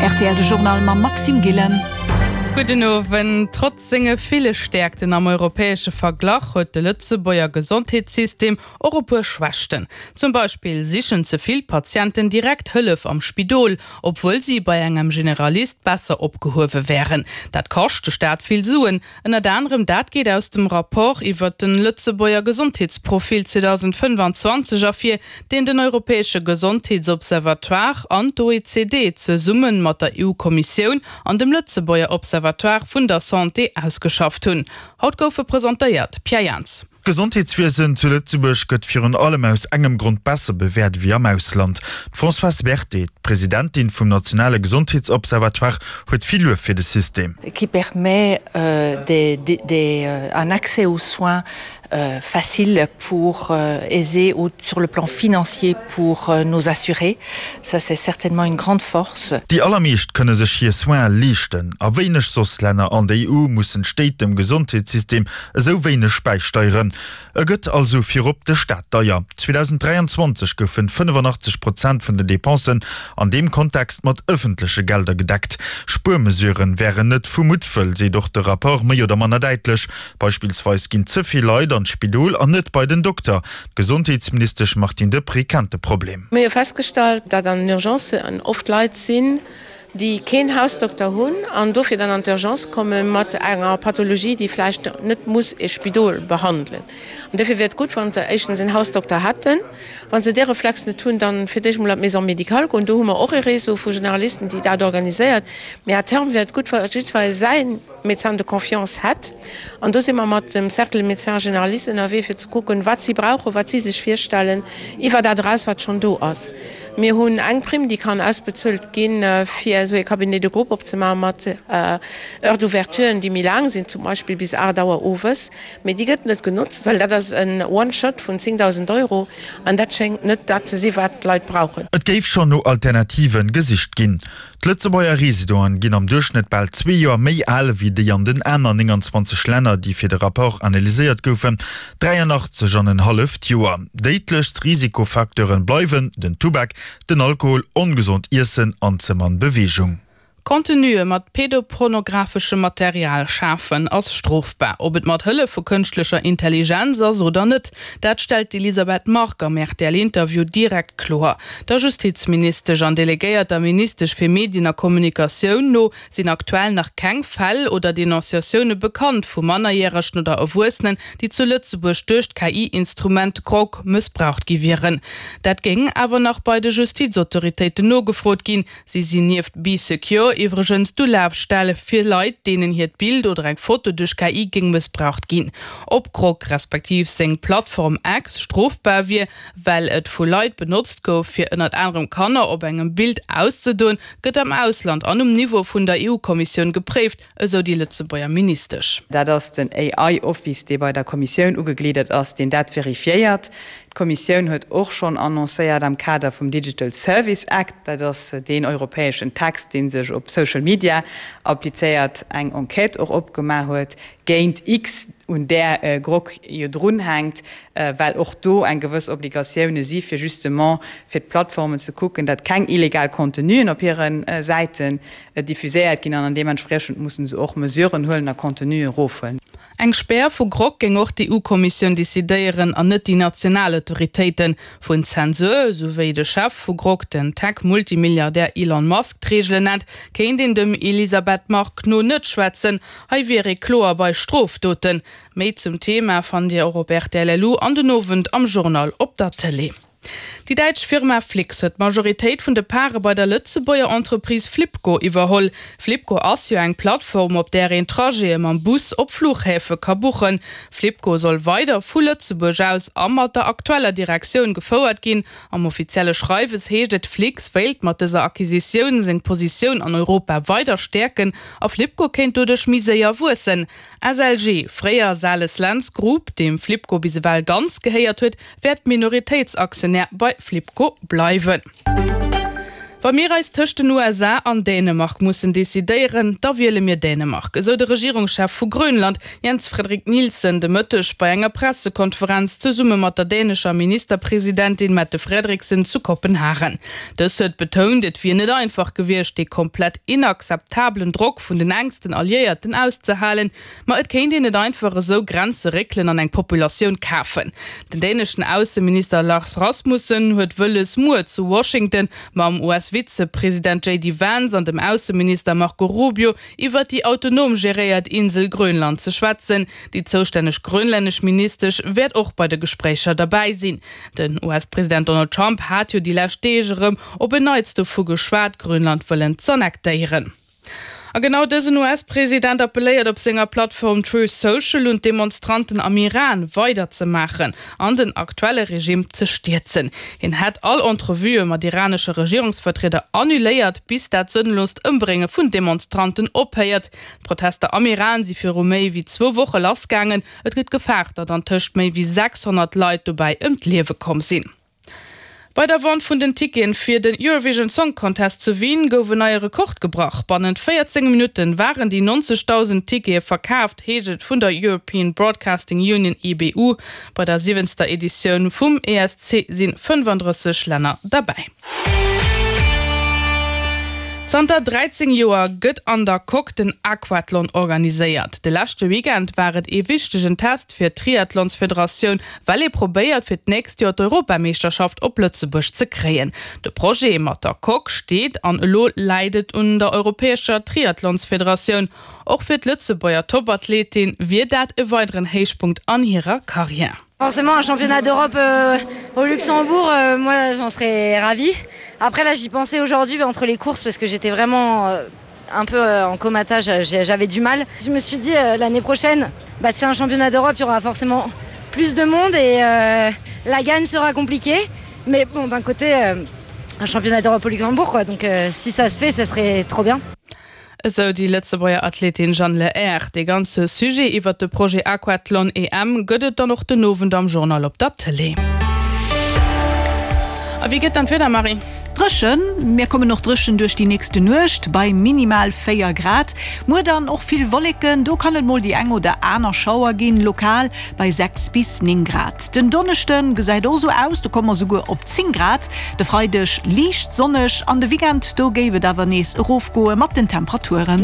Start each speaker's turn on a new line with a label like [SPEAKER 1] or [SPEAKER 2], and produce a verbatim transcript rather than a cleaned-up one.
[SPEAKER 1] Rtl de Journal mam Maxime Gillen.
[SPEAKER 2] Gudden Owend. Trotz senge ville Stäerkten am europäesche Verglach huet de Lëtzebuerger Gesondheetssystem och e puer Schwächten. Zum Beispill sichen ze vill Patienten direkt Hëllef am Spidol, obwuel si bei engem Generalist besser opgehuewe wären. Dat kascht de Staat vill Suen. Ënnert anerem dat geet aus dem Rapport iwwer de Lëtzebuerger Gesondheetsprofil zweedausendfënnfanzwanzeg ervir, deen den Europäesche Gesondheetsobservatoire an d'O E C D zesumme mat der E U-Kommissioun an dem Lëtzebuerger Observatoire vun der Santé ausgeschafft hunn. Haut gouf e presentéiert. Pierre Jans.
[SPEAKER 3] D'Gesondheetswiesen zu Lëtzebuerg gëtt virun allem aus engem Grond besser bewäert wéi am Ausland. D'Françoise Berthet, d'Presidentin vum nationale Gesondheetsobservatoire, huet vill Luef fir de System.
[SPEAKER 4] Qui permet euh, des, des, des, euh, un accès aux soins euh, facile pour euh, aisé ou sur le plan financier pour euh, nos assurés. Ça c'est certainement une grande force.
[SPEAKER 3] Déi allermeescht kënne sech hir Soine leeschten. A wéineg soss Länner an der E U mussen d'Stéit dem Gesondheetssystem esou wéineg bäisteieren. E gëtt also virop de Staat deier. zweedausenddräianzwanzeg goufen fënnefanachteg Prozent vun den Depensen an deem Kontext mat ëffentleche Gelder gedeckt. Spuermesuren wären net vu Muttwëll, seet och de Rapport méi oder manner däitlech. Beispillsweis ginn ze vill Leit an d'Spidol an net bei den Dokter. D'Gesondheetsministesch Martine Deprez kennt de Problem.
[SPEAKER 5] Mir hu festgestallt, datt an den Urgencen oft Leit sinn, déi keen Hausdokter hunn an dofir dann an d'Urgence komme mat enger Pathologie, déi vläicht net muss e Spidol behandelen. An dofir wier et gutt, wa se éischtens en Hausdokter hätten. Wa se dee Reflex net hunn, dann fir d'éischt mol an d'Maison médicale goen. Do hu mer och e Réseau vu Generalisten, déi dat organiséiert. Mee à terme wier et gutt, wa jiddweree säi Médecin de confiance hätt. An do si mer mat dem Cercle des médecins généralistes ënnerwee, fir ze kucken, wat si brauchen, wat si sech virstellen, iwwer dat eraus, wat schonn do ass. Mir hunn eng Prime, déi kann ausbezuelt ginn, fir esou ee Cabinet de groupe opzemaachen mat Heures d'ouverturen, déi méi laang sinn, zum Beispill bis aacht Auer owes. Mee déi gëtt net genotzt, well dat ass en One-Shot vun zéngdausend Euro an dat schéngt net dat ze sinn, wat d'Leit brauchen.
[SPEAKER 3] Et géif schonn no Alternative gesicht ginn. D'Lëtzebuerger Residenten ginn am Duerchschnëtt bal zwee Joer méi al wéi déi an den aner nénganzwanzeg Länner, déi fir de Rapport analyséiert goufen, dräianachtzeg an en halleft Joer. Déidlechst Risikofacteure bleiwen den Tubak, den Alkohol, ongesond Iessen an ze mann Beweegung.
[SPEAKER 2] Contenue mat pedopornografeschem Material schafen ass strofbar, ob et mat Hëllef vu kënschtlecher Intelligenz ass oder net. Dat stellt d'Elisabeth Margue am R T L-Interview direkt kloer. Der Justizministesch an delegéierter Ministesch fir Medien a Kommunikatioun no sinn aktuell nach keng Fäll oder Denonciatioune bekannt vu Mannerjäregen oder Erwuessenen, déi zu Lëtzebuerg duerch d'K I-Instrument Grok mëssbraucht gi wieren. Dat géing awer nach bei de Justizautoritéiten nogefrot ginn. Si sinn nieft Bee Secure iwwregens d'Ulafstell fir Leit, deenen hiert Bild oder eng Foto duerch K I géing mëssbraucht ginn. Ob Grok respektiv seng Plattform X strofbar wier, well et vu Leit benotzt gouf, fir ënnert anerem Kanner op engem Bild auszedoen, gëtt am Ausland an um Niveau vun der E U-Kommissioun gepréift, esou déi Lëtzebuerger Ministesch.
[SPEAKER 6] Dat ass den A I-Office, dee bei der Kommissioun ugegliddert ass, deen dat verifiéiert. D'Kommissioun huet och schonn annoncéiert am Kader vum Digital Service Act, dat ass deen europäeschen Text, dee sech op Social Media applizéiert, eng Enquête och opgemaach huet géint X, un där Grok jo drunhänkt, well och do eng gewëss Obligatioune si fir justement fir d'Plattformen ze kucken, datt keng illegal Contenuen op hire Säiten diffuséiert ginn an an deementspriechend musse se och Mesuren huelen a Contenue erofhuelen.
[SPEAKER 2] Eng Spär vu Grok géing och d'E U-Kommissioun decidéieren an net déi national Autoritéiten. Vun Zensur, sou wéi de Chef vu Grok, den Tech-Multimilliardär Elon Musk d'Reegelen nennt, kéint een dem Elisabeth Margue no net schwätzen. Hei wier ee kloer bei Strofdoten. Méi zum Thema fannt Dir och op R T L L U an den Owend am Journal op der Tëlee. Déi däitsch Firma Flix huet d'Majoritéit vun de Pare bei der Lëtzebuerger Entreprise Flibco iwwerholl. Flibco ass jo eng Plattform, op där een Trajete mam Bus op Fluchhäfe ka buchen. Flibco soll weider vu Lëtzebuerg aus a mat der aktueller Direktioun gefouert ginn. Am offizielle Schreiwes heescht et, Flix wéilt mat dëser Acquisitioun seng Positioun an Europa weider stäerken a Flibco kéint doduerch méi séier wuessen. S L G, fréier Sales-Lentz Group, deem Flibco bis ewell ganz gehéiert huet, wäert Minoritéitsaktionär bei Flibco bleiwen. Wa mir eis tëscht den U S A an Dänemark mussen decidéieren, da wiele mir Dänemark, esou de Regierungschef vu Grönland, Jens Frederik Nielsen, de Mëtteg bei enger Pressekonferenz zesumme mat der dänescher Ministerpresidentin Mette Frederiksen zu Kopenhagen. Dës huet betount, et wier net einfach gewiescht, dee komplett inakzeptabelen Drock vun den enksten Alliéierten auszehalen, ma et kéint een net einfach esou Grenze réckelen an eng Populatioun kafen. Den däneschen Ausseminister Lars Rasmussen huet wëlles, muer zu Washington mam U S-Vizepresident J D Vance an dem Ausseminister Marco Rubio iwwer déi autonom geréiert Insel Grönland ze schwätzen. Déi zoustänneg grönlännesch Ministesch wäert och bei de Gespréicher derbäi sinn. Den U S-President Donald Trump hat jo déi lescht Deeg erëm op en Neits dovu geschwat, Grönland wëllen z'annektéieren. A genau dësen U S-President appelléiert op senger Plattform Truth Social un d'Demonstranten am Iran weiderzemaachen an den aktuelle Regime ze stierzen. Hien hätt all Entrevuë mat iranesche Regierungsvertrieder annuléiert, bis dat sënnlost Ëmbrénge vun Demonstranten ophéiert. D'Protester am Iran si viru méi wéi zwou Woche lassgaangen. Et gëtt gefaart, datt antëscht méi wéi sechshonnert Leit dobäi ëm d'Liewe komm sinn. Bei der Vente vun den Ticketen fir den Eurovision Song Contest zu Wien gouf en neie Rekord gebrach. Bannent véierzéng Minutten waren déi neunzigtausend Tickete verkaaft, heescht et vun der European Broadcasting Union E B U. Bei der siwenster Editioun vum E S C sinn fënnefandrësseg Länner dabei. Zanter dreizéng Joer gëtt an der Coque den Aquathlon organiséiert. De leschte Weekend war et ee wichtegen Test fir d'Triathlonsfederatioun, well ee probéiert fir d'nächst Joer d'Europameeschterschaft op Lëtzebuerg ze kréien. De Projet mat der Coque steet an elo läit et un der Europäescher Triathlonsfederatioun. Och fir d'Lëtzebuerger Topathletin wier dat e weideren Héichpunkt an hirer Karriär.
[SPEAKER 7] Forcément un championnat d'Europe, euh, au Luxembourg, euh, moi j'en serais ravie. Après là j'y pensais aujourd'hui entre les courses parce que j'étais vraiment, euh, un peu, euh, en comatage, j'ai, j'avais du mal. Je me suis dit, euh, l'année prochaine, bah, c'est un championnat d'Europe, il y aura forcément plus de monde et, euh, la gagne sera compliquée. Mais bon, d'un côté, euh, un championnat d'Europe au Luxembourg, quoi. Donc, euh, si ça se fait, ça serait trop bien.
[SPEAKER 2] Esou déi Lëtzebuerger Athletin Jeanne Lehair. De ganze Sujet iwwer de Projet Aquathlon E M gëtt et dann och den Owend am Journal op der Télé. A wie gëtt dann d'Wieder, Marie?
[SPEAKER 1] Dréchen. Mir kommen noch dréchen duerch déi nächste Nuecht bei minimal véier Grad. Muer dann och vill Wolleken, do kann et mol déi eng oder aner Schauer ginn, lokal bei sechs bis néng Grad. Den Donneschden gesäit och sou aus, do komme mer souguer op zéng Grad. De Freideg liicht sonneg an de Weekend, do géif et awer nees erofgoe mat den Temperaturen.